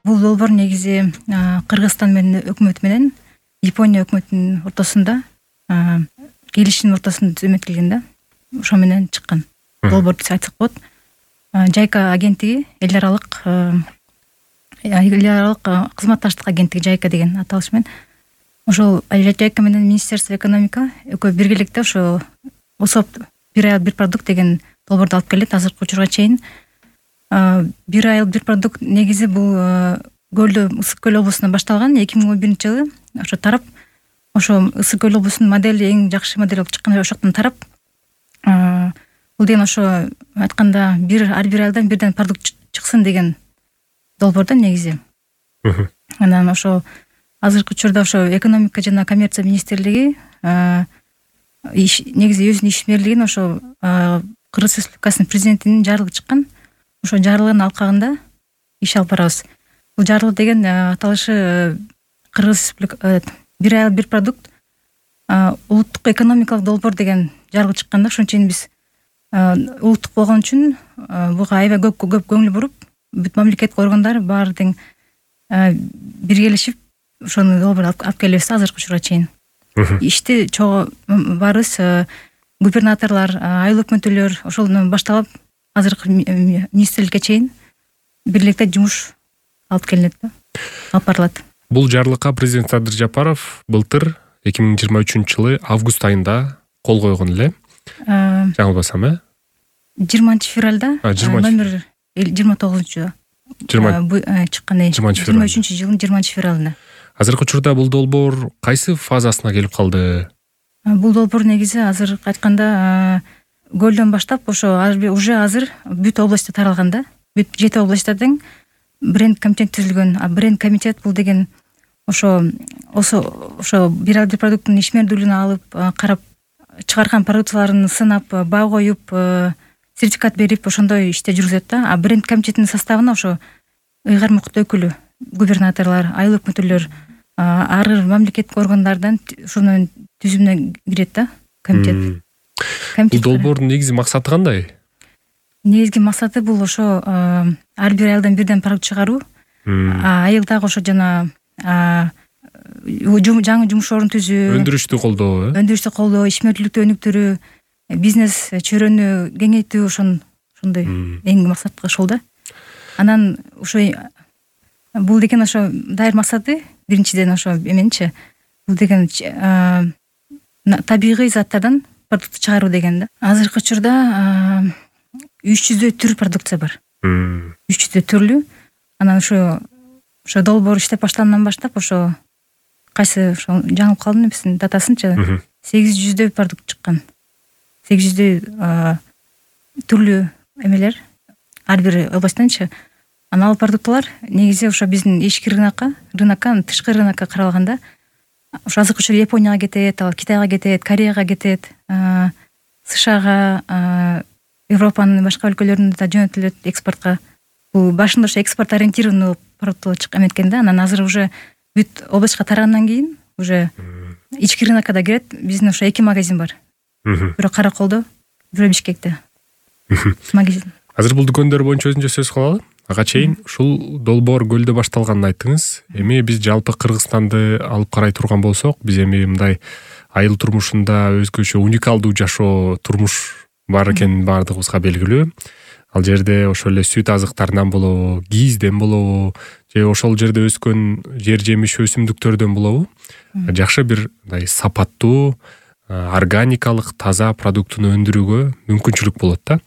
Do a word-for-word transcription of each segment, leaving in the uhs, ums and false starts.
бул долбоор негизи Кыргызстан менен өкмөтү менен Япония өкмөтүнүн ортосунда келишимдин ортосунда түзмөтүлгөн да. Ошо менен чыккан долбоор деп айтсак болот. Жайка агенттиги эл аралык эл аралык кызматташтык агенттиги Жайка деген аталыш менен ошол Жайка менен Министерство экономика экөө биргеликте ошо ОСОП бир айыл бир продукт деген долбоорду алып келет. Азыркы учурга чейин бир айыл бир продукт негизи бул Көлдө Ысык көл облусунда башталган эки миң он биринчи жылы. Ошо тарап ошо Ысык көл облусунун модели эң жакшы модель болуп чыккан ошоктон тарап бул деген ошо айтканда бир ар бир айылдан бирден продукт чыксын деген долбоор да негизи. Анан ошо азыркы учурда ошо экономика жана коммерция министрлиги негизи өзүнүн ишмерлигин ошо Кыргыз Республикасынын президентинин жарлыгы чыккан. Ошо жарлыгынын алкагында иш алып барабыз. Бул жарлык деген аталышы Кыргыз Республика бир айыл бир продукт улуттук экономикалык долбоор деген жарлык чыккан да. Ошон үчүн биз улуттук болгон үчүн буга аябай көп көп көңүл буруп, бүт мамлекеттик органдар баары тең биргелешип ошону долбоор алып келебиз азыркы учурга чейин. Ишти чогуу барыбыз губернаторлор, айыл өкмөттүүлөр ошолдон башталып азыркы министрликке чейин бирликте жумуш алып келинет да, алып барылат. Бул жарлыкка президент Садыр Жапаров былтыр эки миң жыйырма үчүнчү жылы август айында кол койгон эле. Жаңылбасам, э? жыйырманчы февралда номер жыйырма тогузунчу чыккан. жыйырма үчүнчү жылдын жыйырманчы февралында. Азыркы учурда бул долбоор кайсы фазасына келип калды? Бул долбоор негизи азыр айтканда Көлдөн баштап ошо уже азыр бүт областта таралган да. Бүт жети областта тең бренд комитет түзүлгөн. А бренд комитет бул деген ошо ошо бир айыл бир продукттун ишмердүүлүгүн алып, карап, чыгарган продукцияларын сынап, баа коюп, сертификат берип, ошондой иште жүргүзөт да. А бренд комитетинин составына ошо ыйгар мукт өкүлү, губернаторлор, айыл өкмөттүүлөр, ар бир мамлекеттик органдардан ошонун түзүмүнө кирет да комитет. Бул долбоордун негизи максаты кандай? Негизги максаты бул ошо ар бир айылдан бирден продукт чыгаруу, айылдагы ошо жана жаңы жумуш орун түзүү, өндүрүштү колдоо, э? Өндүрүштү колдоо, ишмердүүлүктү өнүктүрүү, бизнес чөйрөнү кеңейтүү, ошон ошондой эң максаты ошол да. Анан ошо бул деген ошо дайыр максаты биринчиден ошо эменчи бул деген табигый заттардан продукт чыгаруу деген да. Азыркы учурда үч жүздөй түр продукция бар. үч жүздөй түрлүү. Анан ошо ошо долбоор иштеп баштагандан баштап ошо кайсы ошо жаңылып калдым эмесин датасынчы сегиз жүздөй продукт чыккан. сегиз жүздөй түрлүү эмелер ар бир областтанчы. Анан ал продуктылар негизи ошо биздин ички рынокко, рынокко, тышкы рынокко каралганда ошо азыркы учурда Японияга кетет, ал Китайга кетет, Кореяга кетет, СШга, Европанын башка өлкөлөрүнө да жөнөтүлөт экспортко. Бул башында ошо экспорт ориентированный продукт чыккан экен да. Анан азыр уже бүт областка тарагандан кийин уже ички рынокко да кирет. Биздин ошо эки магазин бар. Бирөө Караколдо, бирөө Бишкекте. Магазин. Азыр бул дүкөндөр боюнча өзүнчө сөз кылалы. Ага чейин ушул долбоор Көлдө башталганын айттыңыз. Эми биз жалпы Кыргызстанды алып карай турган болсок, биз эми мындай айыл турмушунда өзгөчө уникалдуу жашоо турмуш бар экени баардыгыбызга белгилүү. Ал жерде ошол эле сүт азыктарынан болобу, кийизден болобу, же ошол жерде өскөн жер жемиш өсүмдүктөрдөн болобу, жакшы бир мындай сапаттуу, органикалык, таза продуктуну өндүрүүгө мүмкүнчүлүк болот да.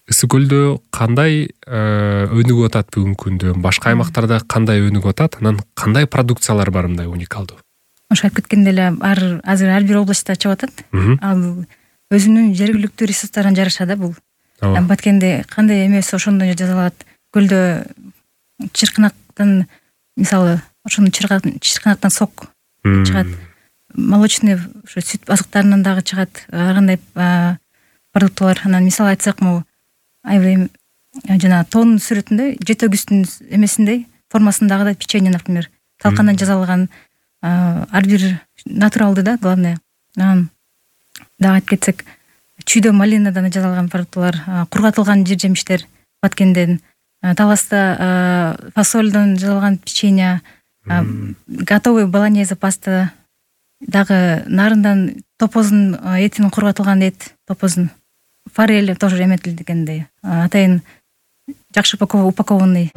Ысык көлдө кандай өнүгүп атат бүгүнкү күндө? Башка аймактарда кандай өнүгүп атат? Анан кандай продукциялар бар мындай уникалдуу? Ошо айтып кеткендей эле азыр ар бир областта чыгып атат. Ал өзүнүн жергиликтүү ресурстарына жараша да бул. Баткенде кандай эмес ошондой жасалат. Көлдө чыркынактан мисалы ошону чыркынактан сок чыгат. Молочный ошо сүт азыктарынан дагы чыгат. Ар кандай продуктылар. Анан мисал айтсак, могу айбай жана тоонун сүрөтүндө жете өгүстүн эмесиндей формасындагы да печенье, например, талкандан жасалган ар бир натуралдуу да, главное. Анан дагы айтып кетсек, чүйдө малинадан жасалган продуктылар, кургатылган жер жемиштер Баткенден, таласта фасольдон жасалган печенье, готовый болонезе паста, дагы нарындан топоздун этинин кургатылган эт, топоздун форель тоже эметилгендей, атайын жакшы упакованный.